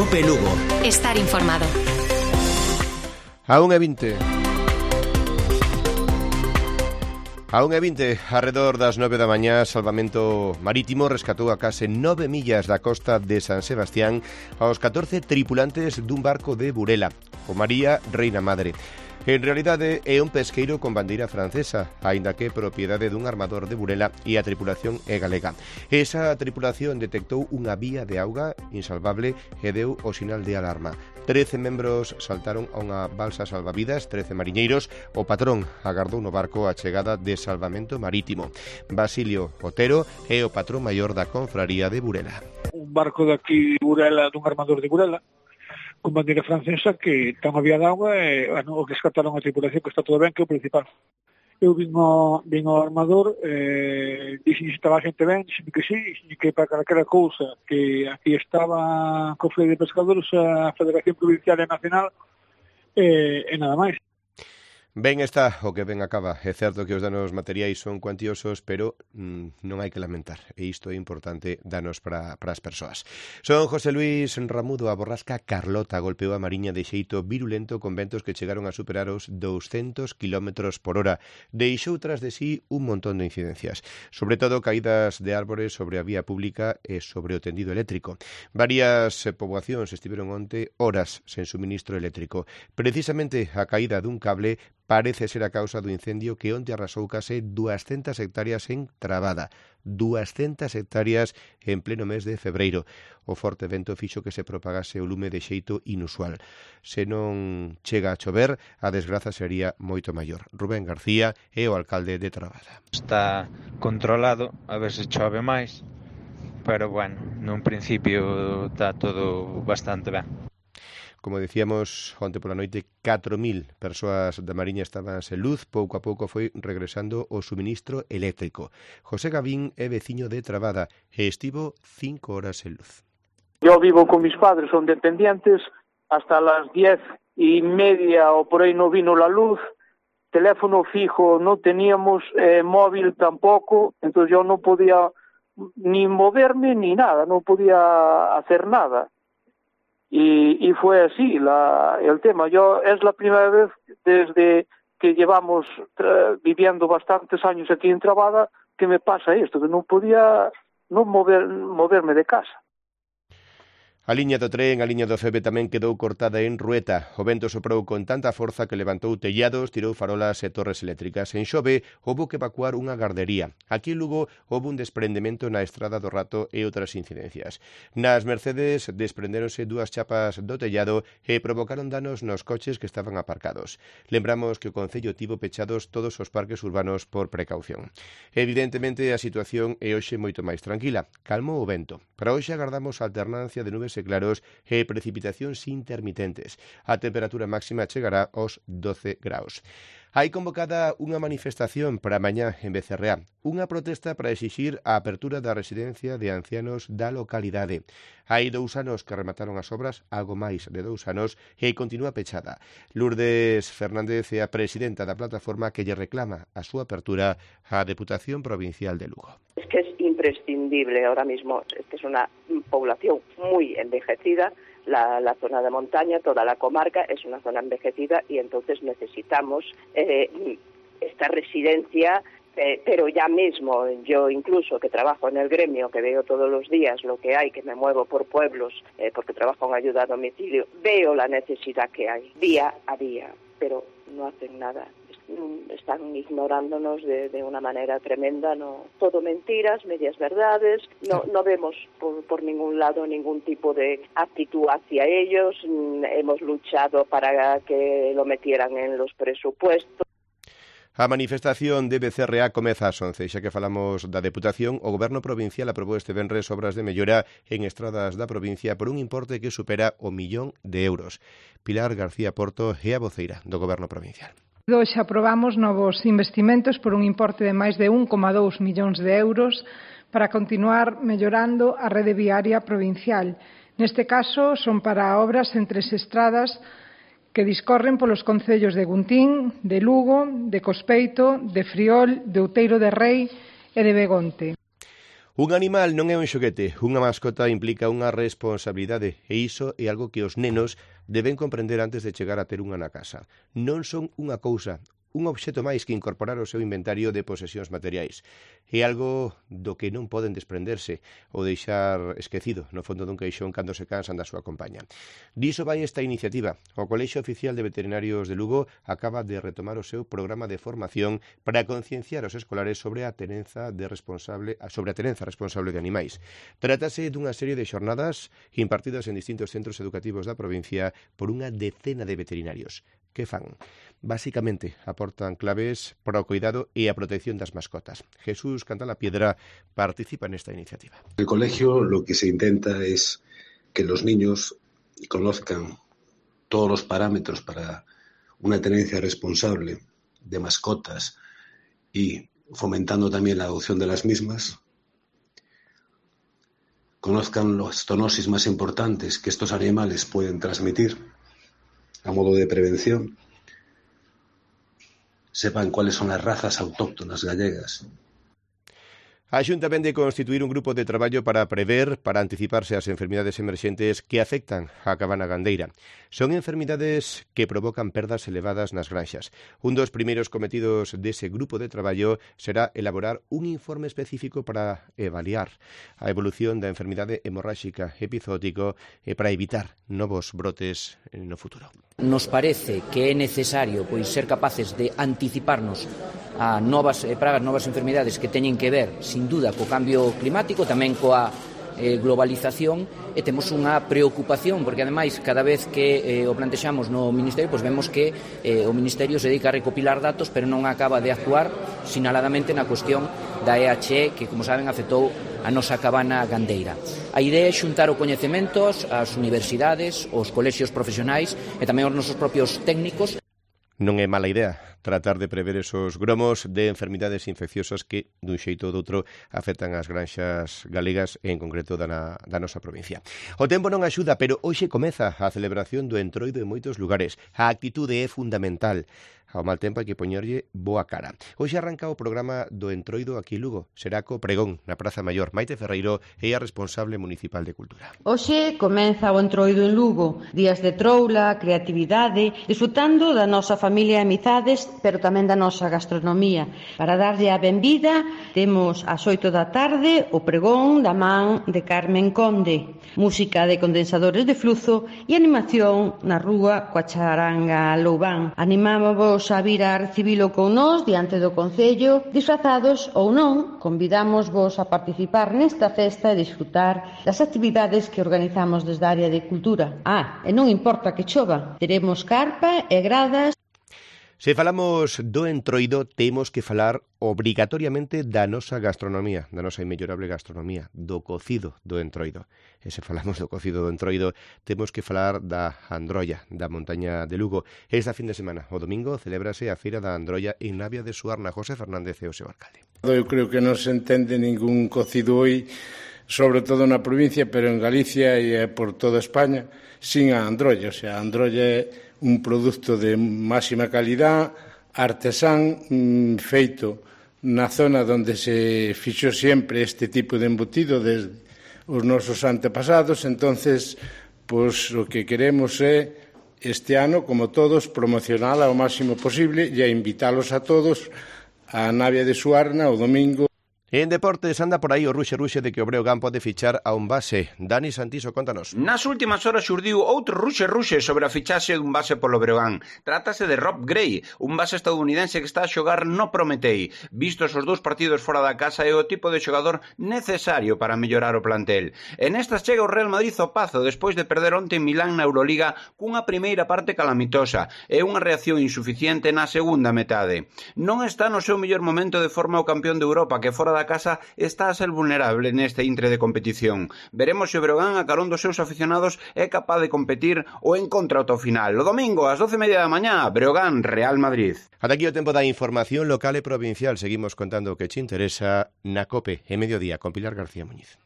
COPE Lugo. Estar informado. A 1:20. A 1:20, arredor das 9 da mañá, Salvamento Marítimo rescatou a case 9 millas da costa de San Sebastián aos 14 tripulantes dun barco de Burela, o María Reina Madre. En realidade é un pesqueiro con bandeira francesa, aínda que propiedade dun armador de Burela e a tripulación é galega. Esa tripulación detectou unha vía de auga insalvable e deu o sinal de alarma. 13 membros saltaron a unha balsa salvavidas, 13 mariñeiros. O patrón agardou no barco a chegada de Salvamento Marítimo. Basilio Otero é o patrón maior da confraría de Burela. Un barco de aquí de Burela, dun armador de Burela, con bandeira francesa, que está unha vía de auga e, bueno, o que escataron a tripulación, que está todo ben, que é o principal. Eu vin ao armador, dixen que estaba a xente ben, dixen que sí, dixen que para calquera cousa, que aquí estaba Cofre de Pescadores, a Federación Provincial e Nacional, e nada máis. Ben está o que ben acaba. É certo que os danos materiais son cuantiosos, pero non hai que lamentar. E isto é importante danos para as persoas. Son José Luis Ramudo. A borrasca Carlota golpeou a Mariña de xeito virulento con ventos que chegaron a superar os 200 km por hora. Deixou tras de sí un montón de incidencias. Sobre todo caídas de árbores sobre a vía pública e sobre o tendido eléctrico. Varias poboacións estiveron onte horas sen suministro eléctrico. Precisamente a caída dun cable parece ser a causa do incendio que onte arrasou case 200 hectáreas en Trabada. 200 hectáreas en pleno mes de febreiro. O forte vento fixo que se propagase o lume de xeito inusual. Se non chega a chover, a desgraza sería moito maior. Rubén García é o alcalde de Trabada. Está controlado, a ver se chove máis, pero bueno, nun principio está todo bastante ben. Como dicíamos, onte pola noite 4.000 persoas da Mariña estaban sen luz. Pouco a pouco foi regresando o suministro eléctrico. José Gavín é veciño de Trabada e estivo 5 horas sen luz. Yo vivo con mis padres, son dependientes, hasta las 10:30 o por aí no vino la luz, teléfono fijo no teníamos, móvil tampoco, entonces yo no podía ni moverme ni nada, no podía hacer nada. Y fue así el tema. Es la primera vez desde que llevamos viviendo bastantes años aquí en Trabada que me pasa esto, que no podía moverme de casa. A liña do tren, a liña do Febe tamén quedou cortada en Rueta. O vento soprou con tanta forza que levantou tellados, tirou farolas e torres eléctricas. En Xove houbo que evacuar unha gardería. Aquí en Lugo houbo un desprendemento na Estrada do Rato e outras incidencias. Nas Mercedes desprendéronse 2 chapas do tellado e provocaron danos nos coches que estaban aparcados. Lembramos que o Concello tivo pechados todos os parques urbanos por precaución. Evidentemente a situación é hoxe moito máis tranquila. Calmou o vento. Para hoxe agardamos a alternancia de nubes e claros e precipitacións intermitentes. A temperatura máxima chegará aos 12 graus. Hai convocada unha manifestación para mañá en Becerreá, unha protesta para exixir a apertura da residencia de ancianos da localidade. Hai 2 anos que remataron as obras, algo máis de 2 anos, e continúa pechada. Lourdes Fernández é a presidenta da plataforma que lle reclama a súa apertura á Deputación Provincial de Lugo. Es que es imprescindible ahora mismo, esta es una población muy envejecida, la zona de montaña, toda la comarca es una zona envejecida y entonces necesitamos esta residencia, pero ya mismo, yo incluso que trabajo en el gremio, que veo todos los días lo que hay, que me muevo por pueblos, porque trabajo en ayuda a domicilio, veo la necesidad que hay día a día, pero no hacen nada. Están ignorándonos de una manera tremenda, no, todo mentiras, medias verdades, no vemos por ningún lado ningún tipo de actitud hacia ellos. Hemos luchado para que lo metieran en los presupuestos. A manifestación de Becerreá comeza ás 11. Xa que falamos da Deputación, o Goberno Provincial aprobou este venres obras de mellora en estradas da provincia por un importe que supera o 1.000.000 de euros. Pilar García Porto é a voceira do Goberno Provincial. Hoxe aprobamos novos investimentos por un importe de máis de 1,2 millóns de euros para continuar mellorando a rede viaria provincial. Neste caso, son para obras en 3 estradas que discorren polos concellos de Guntín, de Lugo, de Cospeito, de Friol, de Outeiro de Rei e de Begonte. Un animal non é un xoguete, unha mascota implica unha responsabilidade e iso é algo que os nenos deben comprender antes de chegar a ter unha na casa. Non son unha cousa, un obxecto máis que incorporar ao seu inventario de posesións materiais. É algo do que non poden desprenderse ou deixar esquecido no fondo dun caixón cando se cansan da súa compañía. Diso vai esta iniciativa. O Colexio Oficial de Veterinarios de Lugo acaba de retomar o seu programa de formación para concienciar os escolares sobre a terenza responsable de animais. Trátase dunha serie de xornadas impartidas en distintos centros educativos da provincia por unha decena de veterinarios. Que fan? Básicamente, aportan claves para o cuidado e a protección das mascotas. Jesús Cantalapiedra participa en esta iniciativa. En el colegio lo que se intenta es que los niños conozcan todos los parámetros para una tenencia responsable de mascotas y fomentando también la adopción de las mismas, conozcan las zoonosis más importantes que estos animales pueden transmitir a modo de prevención, sepan cuáles son las razas autóctonas gallegas. A Xunta vende constituir un grupo de traballo para prever, para anticiparse ás enfermidades emerxentes que afectan a cabana gandeira. Son enfermidades que provocan perdas elevadas nas granxas. Un dos primeiros cometidos dese grupo de traballo será elaborar un informe específico para avaliar a evolución da enfermidade hemorráxica epizótico e para evitar novos brotes no futuro. Nos parece que é necesario ser capaces de anticiparnos a novas pragas, novas enfermidades que teñen que ver, sin duda, co cambio climático, tamén coa globalización, e temos unha preocupación, porque ademais cada vez que o plantexamos no Ministerio, vemos que o Ministerio se dedica a recopilar datos, pero non acaba de actuar sinaladamente na cuestión da EHE, que, como saben, afectou a nosa cabana gandeira. A idea é xuntar o coñecemento ás universidades, os colexios profesionais e tamén os nosos propios técnicos. Non é mala idea tratar de prever esos gromos de enfermidades infecciosas que, dun xeito ou doutro, afectan as granxas galegas e, en concreto, da nosa provincia. O tempo non axuda, pero hoxe comeza a celebración do Entroido en moitos lugares. A actitude é fundamental. Ao mal tempo hai que poñerlle boa cara. Hoxe arranca o programa do Entroido aquí en Lugo. Será co pregón na Praza Maior. Maite Ferreiro é a responsable municipal de Cultura. Hoxe comeza o Entroido en Lugo. Días de troula, creatividade, disfrutando da nosa familia e amizades, pero tamén da nosa gastronomía. Para darlle a benvida, temos ás 8 da tarde o pregón da man de Carmen Conde, música de condensadores de fluzo e animación na rúa coa charanga Loubán. Animámosvos a vir a recibilo con nós diante do Concello, disfrazados ou non, convidamos-vos a participar nesta festa e disfrutar das actividades que organizamos desde a área de cultura. E non importa que chova, teremos carpa e gradas. Se falamos do Entroido, temos que falar obrigatoriamente da nosa gastronomía, da nosa inmellorable gastronomía, do cocido do Entroido. E se falamos do cocido do Entroido, temos que falar da Androlla, da montaña de Lugo. Esta fin de semana, o domingo, celébrase a Feira da Androlla en Navia de Suarna. José Fernández é o seu alcalde. Eu creo que non se entende ningún cocido hoy, sobre todo na provincia, pero en Galicia e por toda España, sin a Androlla. O sea, a Androlla é un produto de máxima calidad, artesán, feito na zona onde se fixo sempre este tipo de embutido desde os nosos antepasados. Entonces, pois o que queremos é este ano, como todos, promocionala ao máximo posible e a invitalos a todos a Navia de Suarna o domingo. En deportes anda por aí o ruxe de que o Breogán pode fichar a un base. Dani Santiso, contanos. Nas últimas horas xurdiu outro ruxe sobre a fichaxe dun base polo Breogán. Trátase de Rob Gray, un base estadounidense que está a xogar no Prometei. Vistos os dous partidos fora da casa, é o tipo de xogador necesario para mellorar o plantel. En estas chega o Real Madrid ao Pazo despois de perder onte en Milán na Euroliga cunha primeira parte calamitosa e unha reacción insuficiente na segunda metade. Non está no seu mellor momento de forma o campeón de Europa, que fora da casa está a ser vulnerable neste intre de competición. Veremos se o Breogán a carón dos seus aficionados é capaz de competir ou en contra ata o final. O domingo, ás 12:30 da mañá, Breogán, Real Madrid. Ata aquí o tempo da información local e provincial. Seguimos contando o que che interesa na COPE, en mediodía, con Pilar García Muñiz.